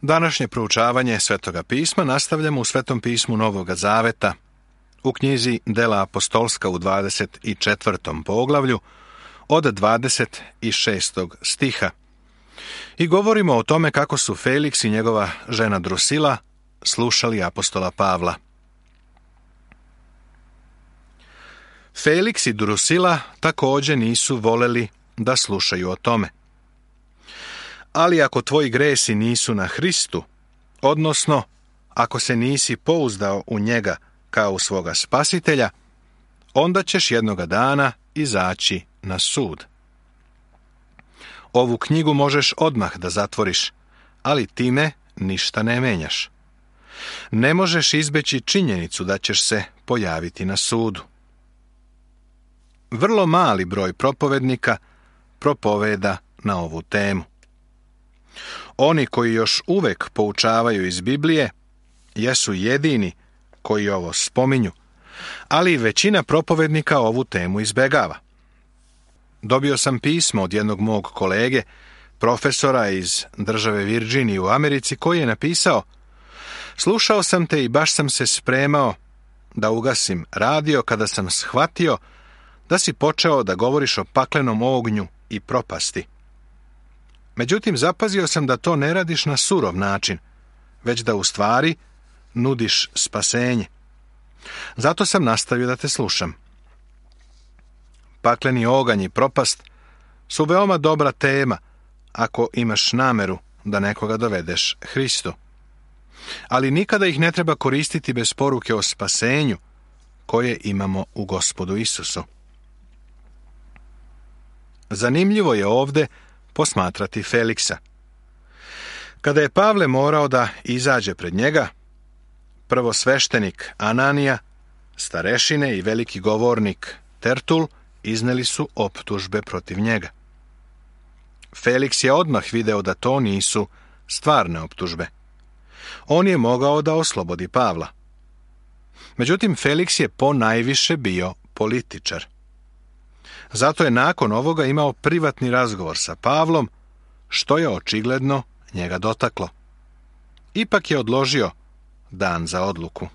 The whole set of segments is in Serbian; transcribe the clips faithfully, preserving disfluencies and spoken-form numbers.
Današnje proučavanje Svetoga pisma nastavljamo u Svetom pismu Novoga Zaveta, u knjizi Dela apostolska u dvadeset četvrtom poglavlju, od dvadeset šestog stiha. I govorimo o tome kako su Feliks i njegova žena Drusila slušali apostola Pavla. Feliks i Drusila također nisu voleli da slušaju o tome. Ali ako tvoji gresi nisu na Hristu, odnosno ako se nisi pouzdao u njega kao u svoga spasitelja, onda ćeš jednoga dana izaći na sud. Ovu knjigu možeš odmah da zatvoriš, ali time ništa ne menjaš. Ne možeš izbeći činjenicu da ćeš se pojaviti na sudu. Vrlo mali broj propovednika propoveda na ovu temu. Oni koji još uvek poučavaju iz Biblije jesu jedini koji ovo spominju, ali većina propovednika ovu temu izbegava. Dobio sam pismo od jednog mog kolege, profesora iz države Virginije u Americi, koji je napisao: slušao sam te i baš sam se spremao da ugasim radio kada sam shvatio da si počeo da govoriš o paklenom ognju i propasti. Međutim, zapazio sam da to ne radiš na surov način, već da u stvari nudiš spasenje. Zato sam nastavio da te slušam. Pakleni oganj i propast su veoma dobra tema ako imaš nameru da nekoga dovedeš Hristu. Ali nikada ih ne treba koristiti bez poruke o spasenju koje imamo u Gospodu Isusu. Zanimljivo je ovde posmatrati Feliksa. Kada je Pavle morao da izađe pred njega, prvosveštenik Ananija, starešine i veliki govornik Tertul izneli su optužbe protiv njega. Feliks je odmah video da to nisu stvarne optužbe. On je mogao da oslobodi Pavla. Međutim, Feliks je ponajviše bio političar. Zato je nakon ovoga imao privatni razgovor sa Pavlom, što je očigledno njega dotaklo. Ipak je odložio dan za odluku.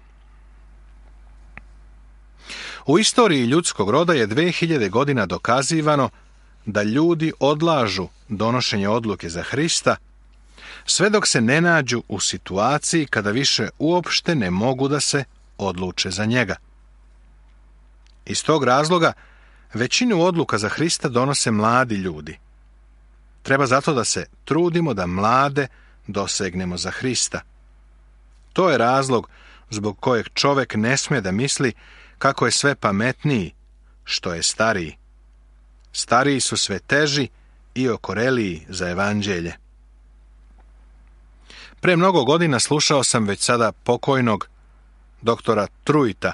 U istoriji ljudskog roda je dve hiljade godina dokazivano da ljudi odlažu donošenje odluke za Hrista, sve dok se ne nađu u situaciji kada više uopšte ne mogu da se odluče za njega. Iz tog razloga većinu odluka za Hrista donose mladi ljudi. Treba zato da se trudimo da mlade dosegnemo za Hrista. To je razlog zbog kojeg čovek ne sme da misli kako je sve pametniji što je stariji. Stariji su sve teži i okoreliji za evanđelje. Pre mnogo godina slušao sam već sada pokojnog doktora Truita,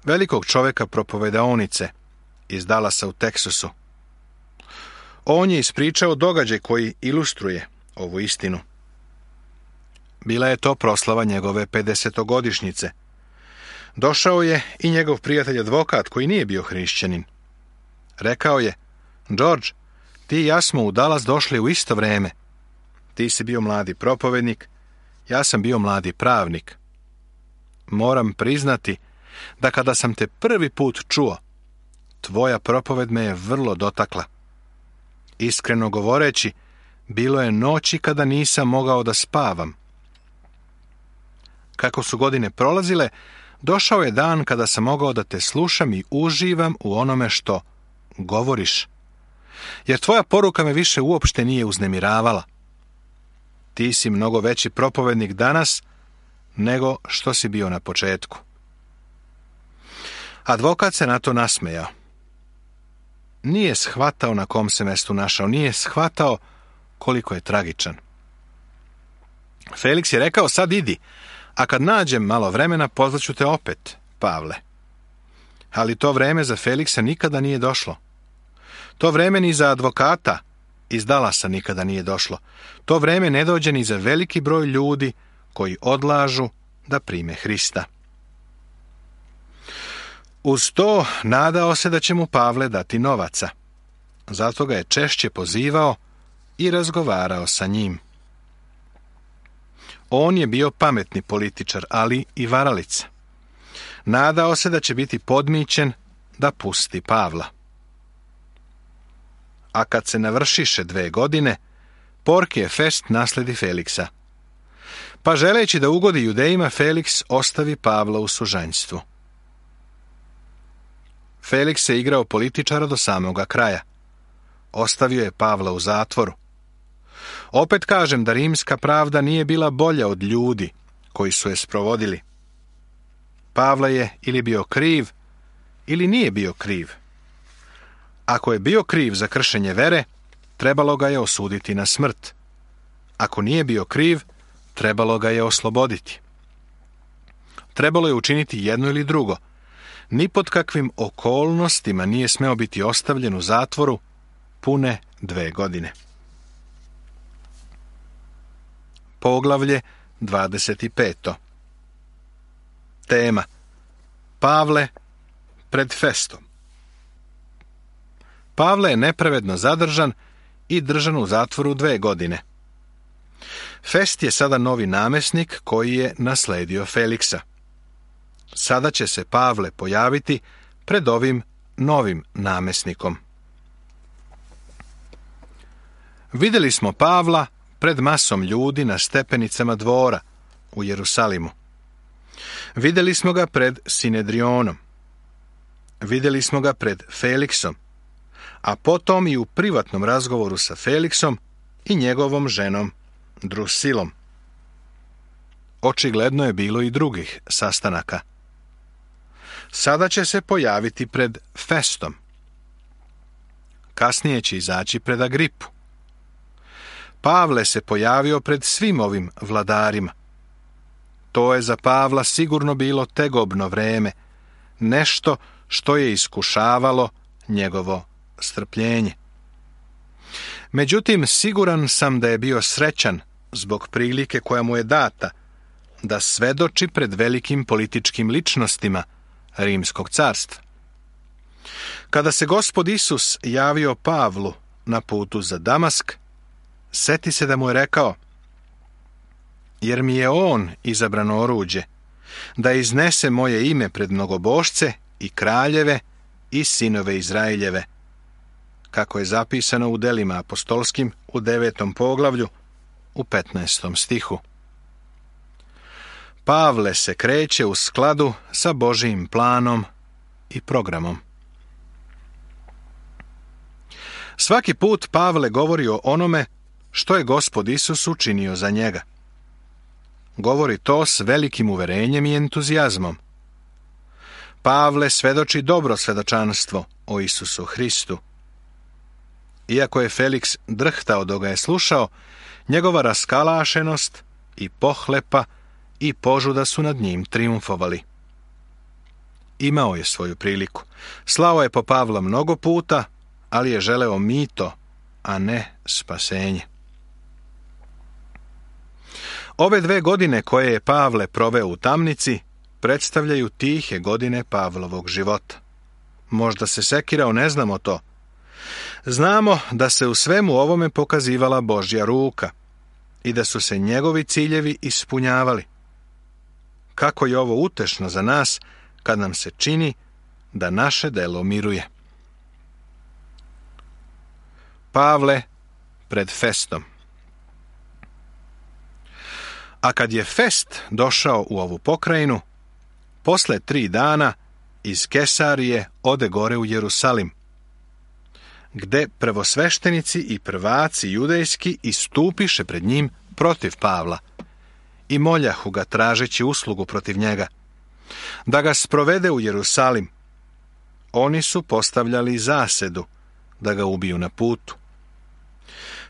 velikog čoveka propovedaonice iz Dallasa u Teksasu. On je ispričao događaj koji ilustruje ovu istinu. Bila je to proslava njegove pedesetogodišnjice. Došao je i njegov prijatelj advokat koji nije bio hrišćanin. Rekao je: George, ti i ja smo u Dallas došli u isto vreme. Ti si bio mladi propovednik, ja sam bio mladi pravnik. Moram priznati da kada sam te prvi put čuo, tvoja propoved me je vrlo dotakla. Iskreno govoreći, bilo je noći kada nisam mogao da spavam. Kako su godine prolazile, došao je dan kada sam mogao da te slušam i uživam u onome što govoriš. Jer tvoja poruka me više uopšte nije uznemiravala. Ti si mnogo veći propovednik danas nego što si bio na početku. Advokat se na to nasmejao. Nije shvatao na kom se mestu našao, nije shvatao koliko je tragičan. Feliks je rekao: sad idi, a kad nađem malo vremena pozvaću te opet, Pavle. Ali to vreme za Feliksa nikada nije došlo. To vreme ni za advokata iz Dallasa nikada nije došlo. To vreme ne dođe ni za veliki broj ljudi koji odlažu da prime Hrista. Uz to nadao se da će mu Pavle dati novaca. Zato ga je češće pozivao i razgovarao sa njim. On je bio pametni političar, ali i varalica. Nadao se da će biti podmićen da pusti Pavla. A kad se navršiše dve godine, Porkije Fest nasledi Feliksa. Pa želeći da ugodi Judejima, Feliks ostavi Pavla u sužanjstvu. Feliks se igrao političara do samoga kraja. Ostavio je Pavla u zatvoru. Opet kažem da rimska pravda nije bila bolja od ljudi koji su je sprovodili. Pavle je ili bio kriv, ili nije bio kriv. Ako je bio kriv za kršenje vere, trebalo ga je osuditi na smrt. Ako nije bio kriv, trebalo ga je osloboditi. Trebalo je učiniti jedno ili drugo. Ni pod kakvim okolnostima nije smeo biti ostavljen u zatvoru pune dve godine. Poglavlje dvadeset pet. Tema: Pavle pred Festom. Pavle je nepravedno zadržan i držan u zatvoru dve godine. Fest je sada novi namesnik koji je nasledio Feliksa. Sada će se Pavle pojaviti pred ovim novim namesnikom. Vidjeli smo Pavla pred masom ljudi na stepenicama dvora u Jerusalimu. Vidjeli smo ga pred Sinedrionom. Vidjeli smo ga pred Feliksom, a potom i u privatnom razgovoru sa Feliksom i njegovom ženom Drusilom. Očigledno je bilo i drugih sastanaka. Sada će se pojaviti pred Festom. Kasnije će izaći pred Agripu. Pavle se pojavio pred svim ovim vladarima. To je za Pavla sigurno bilo tegobno vreme, nešto što je iskušavalo njegovo strpljenje. Međutim, siguran sam da je bio srećan zbog prilike koja mu je data da svedoči pred velikim političkim ličnostima Rimskog carstva. Kada se Gospod Isus javio Pavlu na putu za Damask, seti se da mu je rekao: jer mi je on izabrano oruđe, da iznese moje ime pred mnogobošce i kraljeve i sinove Izraeljeve, kako je zapisano u delima apostolskim u devetom poglavlju u petnaestom stihu. Pavle se kreće u skladu sa Božijim planom i programom. Svaki put Pavle govori o onome što je Gospod Isus učinio za njega. Govori to s velikim uverenjem i entuzijazmom. Pavle svedoči dobro svedočanstvo o Isusu Hristu. Iako je Feliks drhtao dok ga je slušao, njegova raskalašenost i pohlepa i požuda su nad njim trijumfovali. Imao je svoju priliku. Slao je po Pavla mnogo puta, ali je želeo mito, a ne spasenje. Ove dve godine koje je Pavle proveo u tamnici predstavljaju tihe godine Pavlovog života. Možda se sekirao, ne znamo to. Znamo da se u svemu ovome pokazivala Božja ruka i da su se njegovi ciljevi ispunjavali. Kako je ovo utešno za nas kad nam se čini da naše delo miruje. Pavle pred Festom. A kad je Fest došao u ovu pokrajinu, posle tri dana iz Kesarije ode gore u Jerusalim, gde prvosveštenici i prvaci judejski istupiše pred njim protiv Pavla i moljahu ga tražeći uslugu protiv njega, da ga sprovede u Jerusalim. Oni su postavljali zasedu da ga ubiju na putu.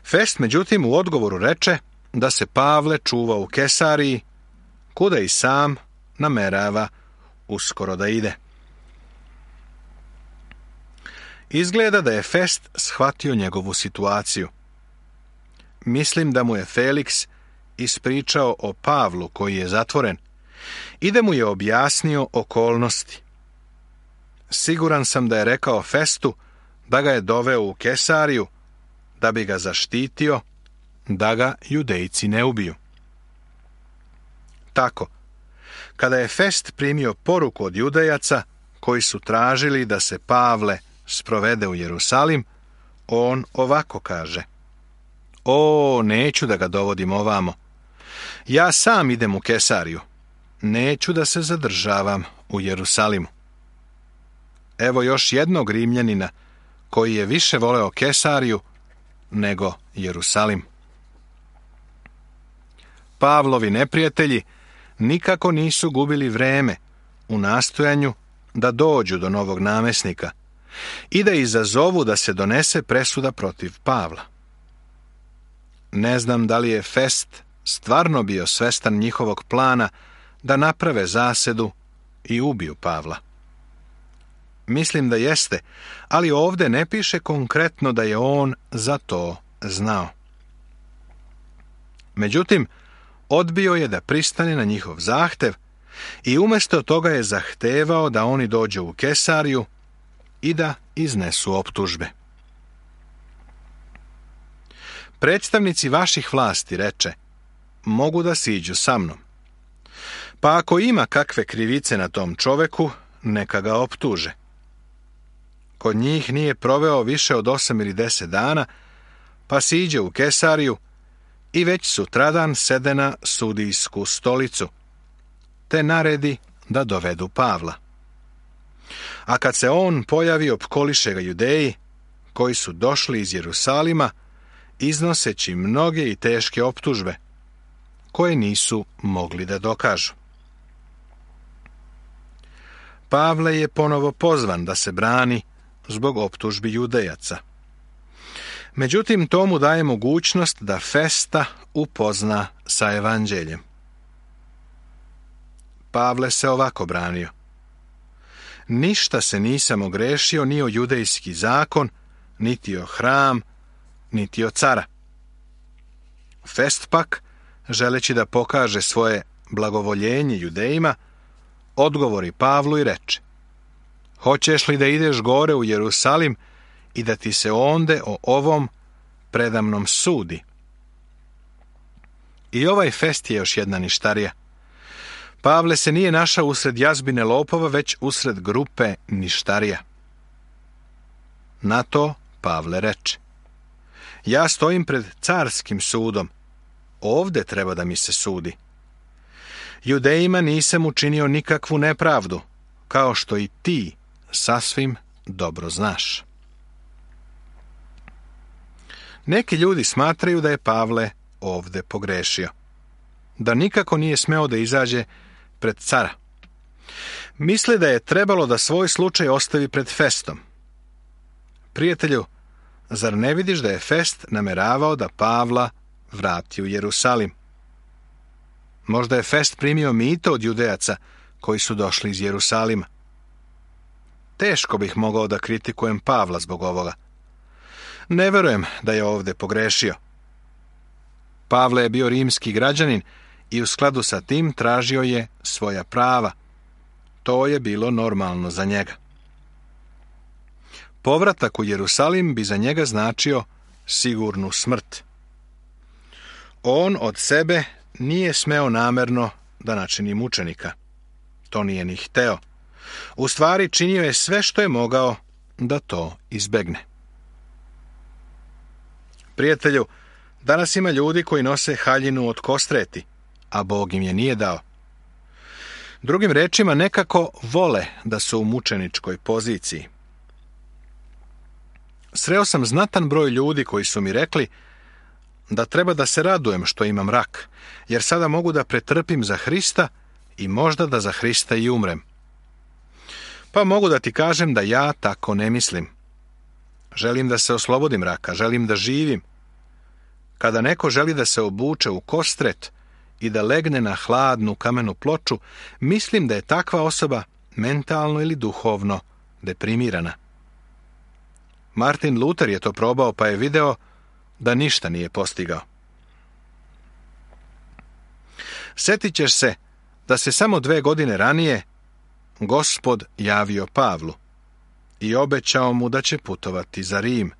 Fest, međutim, u odgovoru reče da se Pavle čuva u Kesariji, kuda i sam namerava uskoro da ide. Izgleda da je Fest shvatio njegovu situaciju. Mislim da mu je Feliks ispričao o Pavlu koji je zatvoren i da mu je objasnio okolnosti. Siguran sam da je rekao Festu da ga je doveo u Kesariju da bi ga zaštitio, da ga Judejci ne ubiju. tako. Kada je Fest primio poruku od Judejaca, koji su tražili da se Pavle sprovede u Jerusalim, on ovako kaže: O, neću da ga dovodim ovamo. Ja sam idem u Kesariju. Neću da se zadržavam u Jerusalimu. Evo još jednog Rimljanina koji je više voleo Kesariju nego Jerusalim. Pavlovi neprijatelji nikako nisu gubili vreme u nastojanju da dođu do novog namesnika i da izazovu da se donese presuda protiv Pavla. Ne znam da li je Fest stvarno bio svestan njihovog plana da naprave zasedu i ubiju Pavla. Mislim da jeste, ali ovdje ne piše konkretno da je on za to znao. Međutim, odbio je da pristane na njihov zahtev i umjesto toga je zahtevao da oni dođu u Kesariju i da iznesu optužbe. Predstavnici vaših vlasti, reče, mogu da siđu sa mnom. Pa ako ima kakve krivice na tom čoveku, neka ga optuže. Kod njih nije proveo više od osam ili deset dana, pa siđe u Kesariju i već sutradan sede na sudijsku stolicu, te naredi da dovedu Pavla. A kad se on pojavi, opkoliše ga Judeji, koji su došli iz Jerusalima, iznoseći mnoge i teške optužbe, koje nisu mogli da dokažu. Pavle je ponovo pozvan da se brani zbog optužbi Judejaca. Međutim, to mu daje mogućnost da Festa upozna sa evanđeljem. Pavle se ovako branio: ništa se nisam ogrešio ni o judejski zakon, niti o hram, niti o cara. Fest pak, želeći da pokaže svoje blagovoljenje Judejima, odgovori Pavlu i reče: hoćeš li da ideš gore u Jerusalim i da ti se onde o ovom predamnom sudi? I ovaj Fest je još jedna ništarija. Pavle se nije našao usred jazbine lopova, već usred grupe ništarija. Na to Pavle reče: ja stojim pred carskim sudom, ovde treba da mi se sudi. Judejima nisam učinio nikakvu nepravdu, kao što i ti sasvim dobro znaš. Neki ljudi smatraju da je Pavle ovde pogrešio, da nikako nije smeo da izađe pred cara. Misle da je trebalo da svoj slučaj ostavi pred Festom. Prijatelju, zar ne vidiš da je Fest nameravao da Pavla vrati u Jerusalim? Možda je Fest primio mito od Judejaca koji su došli iz Jerusalima. Teško bih mogao da kritikujem Pavla zbog ovoga. Ne verujem da je ovde pogrešio. Pavle je bio rimski građanin i u skladu sa tim tražio je svoja prava. To je bilo normalno za njega. Povratak u Jerusalim bi za njega značio sigurnu smrt. On od sebe nije smeo namerno da načini mučenika. To nije ni hteo. U stvari činio je sve što je mogao da to izbegne. Prijatelju, danas ima ljudi koji nose haljinu od kostreti, a Bog im je nije dao. Drugim rečima, nekako vole da su u mučeničkoj poziciji. Sreo sam znatan broj ljudi koji su mi rekli da treba da se radujem što imam rak, jer sada mogu da pretrpim za Hrista i možda da za Hrista i umrem. Pa mogu da ti kažem da ja tako ne mislim. Želim da se oslobodim raka, želim da živim. Kada neko želi da se obuče u kostret i da legne na hladnu kamenu ploču, mislim da je takva osoba mentalno ili duhovno deprimirana. Martin Luther je to probao, pa je video da ništa nije postigao. Sjetit ćeš se da se samo dve godine ranije Gospod javio Pavlu i obećao mu da će putovati za Rim,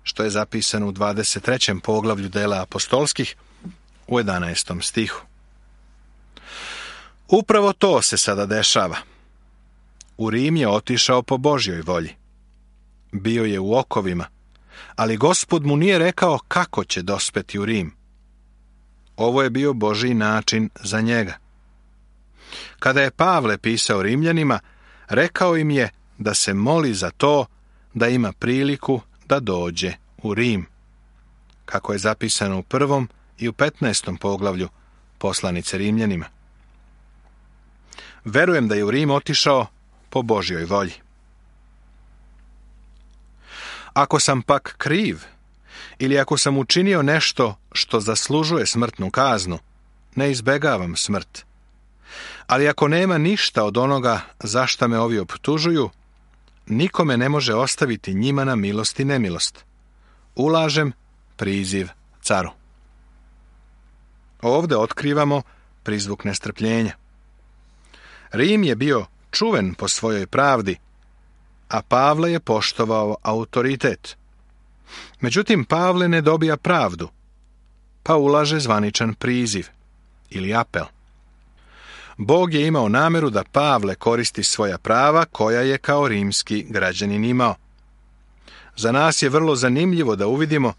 što je zapisano u dvadeset trećem poglavlju dela apostolskih u jedanaestom stihu. Upravo to se sada dešava. U Rim je otišao po Božjoj volji. Bio je u okovima, ali Gospod mu nije rekao kako će dospeti u Rim. Ovo je bio Božji način za njega. Kada je Pavle pisao Rimljanima, rekao im je da se moli za to da ima priliku da dođe u Rim, kako je zapisano u prvom i u petnaestom poglavlju poslanice Rimljanima. Verujem da je u Rim otišao po Božjoj volji. Ako sam pak kriv, ili ako sam učinio nešto što zaslužuje smrtnu kaznu, ne izbegavam smrt. Ali ako nema ništa od onoga za šta me ovi optužuju, nikome ne može ostaviti njima na milost i nemilost. Ulažem priziv caru. Ovde otkrivamo prizvuk nestrpljenja. Rim je bio čuven po svojoj pravdi, a Pavle je poštovao autoritet. Međutim, Pavle ne dobija pravdu, pa ulaže zvaničan priziv ili apel. Bog je imao nameru da Pavle koristi svoja prava koja je kao rimski građanin imao. Za nas je vrlo zanimljivo da uvidimo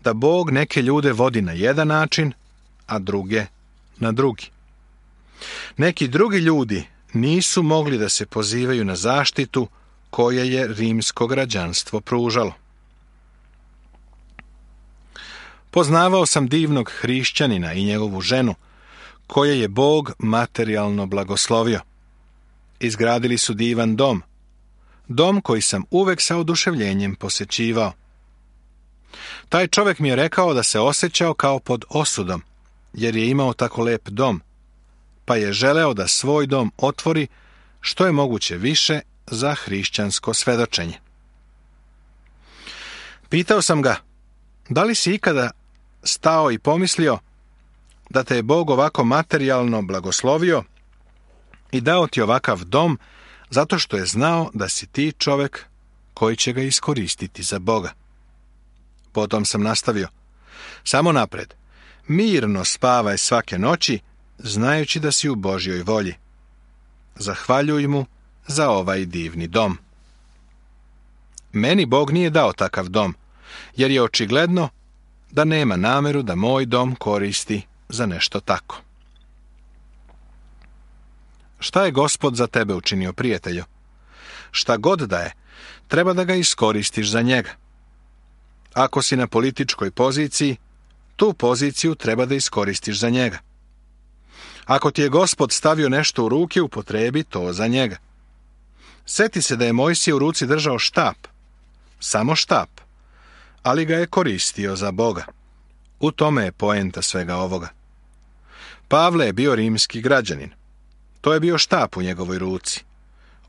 da Bog neke ljude vodi na jedan način, a druge na drugi. Neki drugi ljudi nisu mogli da se pozivaju na zaštitu koje je rimsko građanstvo pružalo. Poznavao sam divnog hrišćanina i njegovu ženu, koje je Bog materijalno blagoslovio. Izgradili su divan dom, dom koji sam uvek sa oduševljenjem posećivao. Taj čovjek mi je rekao da se osjećao kao pod osudom, jer je imao tako lep dom, pa je želeo da svoj dom otvori što je moguće više za hrišćansko svedočenje. Pitao sam ga, da li si ikada stao i pomislio da te je Bog ovako materijalno blagoslovio i dao ti ovakav dom zato što je znao da si ti čovjek koji će ga iskoristiti za Boga. Potom sam nastavio, samo napred, mirno spavaj svake noći, znajući da si u Božjoj volji. Zahvaljuj mu za ovaj divni dom. Meni Bog nije dao takav dom, jer je očigledno da nema nameru da moj dom koristi za nešto tako. Šta je Gospod za tebe učinio, prijatelju? Šta god da je, treba da ga iskoristiš za njega. Ako si na političkoj poziciji, tu poziciju treba da iskoristiš za njega. Ako ti je Gospod stavio nešto u ruke, upotrebi to za njega. Seti se da je Mojsije u ruci držao štap, samo štap, ali ga je koristio za Boga. U tome je poenta svega ovoga. Pavle je bio rimski građanin. To je bio štap u njegovoj ruci.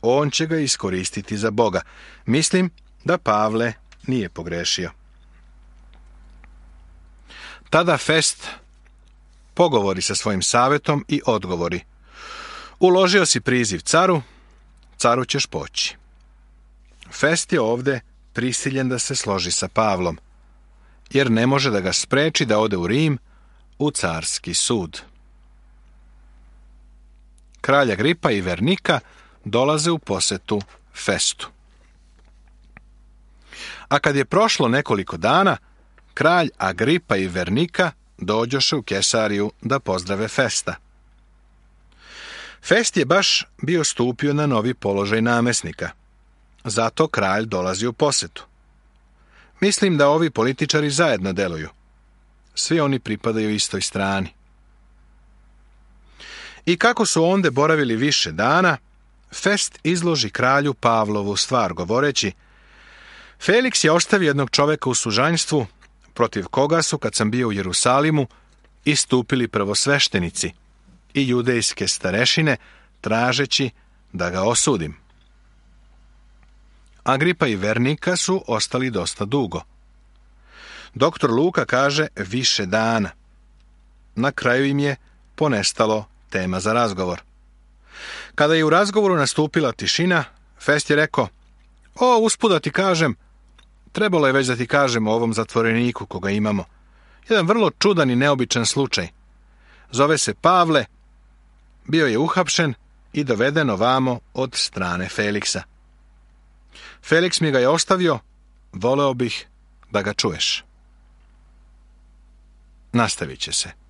On će ga iskoristiti za Boga. Mislim da Pavle nije pogrešio. Tada Fest pogovori sa svojim savjetom i odgovori. Uložio si priziv caru, caru ćeš poći. Fest je ovde prisiljen da se složi sa Pavlom, jer ne može da ga spreči da ode u Rim u carski sud. Kralj Agripa i Vernika dolaze u posetu Festu. A kad je prošlo nekoliko dana, kralj Agripa i Vernika dođoše u Kesariju da pozdrave Festa. Fest je baš bio stupio na novi položaj namesnika, zato kralj dolazi u posetu. Mislim da ovi političari zajedno deluju. Svi oni pripadaju istoj strani. I kako su onde boravili više dana, Fest izloži kralju Pavlovu stvar, govoreći: Feliks je ostavio jednog čoveka u sužanjstvu, protiv koga su, kad sam bio u Jerusalimu, istupili prvosveštenici i judejske starešine, tražeći da ga osudim. Agripa i Vernika su ostali dosta dugo. Doktor Luka kaže više dana. Na kraju im je ponestalo tema za razgovor. Kada je u razgovoru nastupila tišina, Fest je rekao: O, usput da ti kažem, trebalo je već da ti kažem o ovom zatvoreniku koga imamo. Jedan vrlo čudan i neobičan slučaj. Zove se Pavle bio je uhapšen i doveden ovamo od strane Feliksa. Feliks mi ga je ostavio, voleo bih da ga čuješ. Nastavit će se.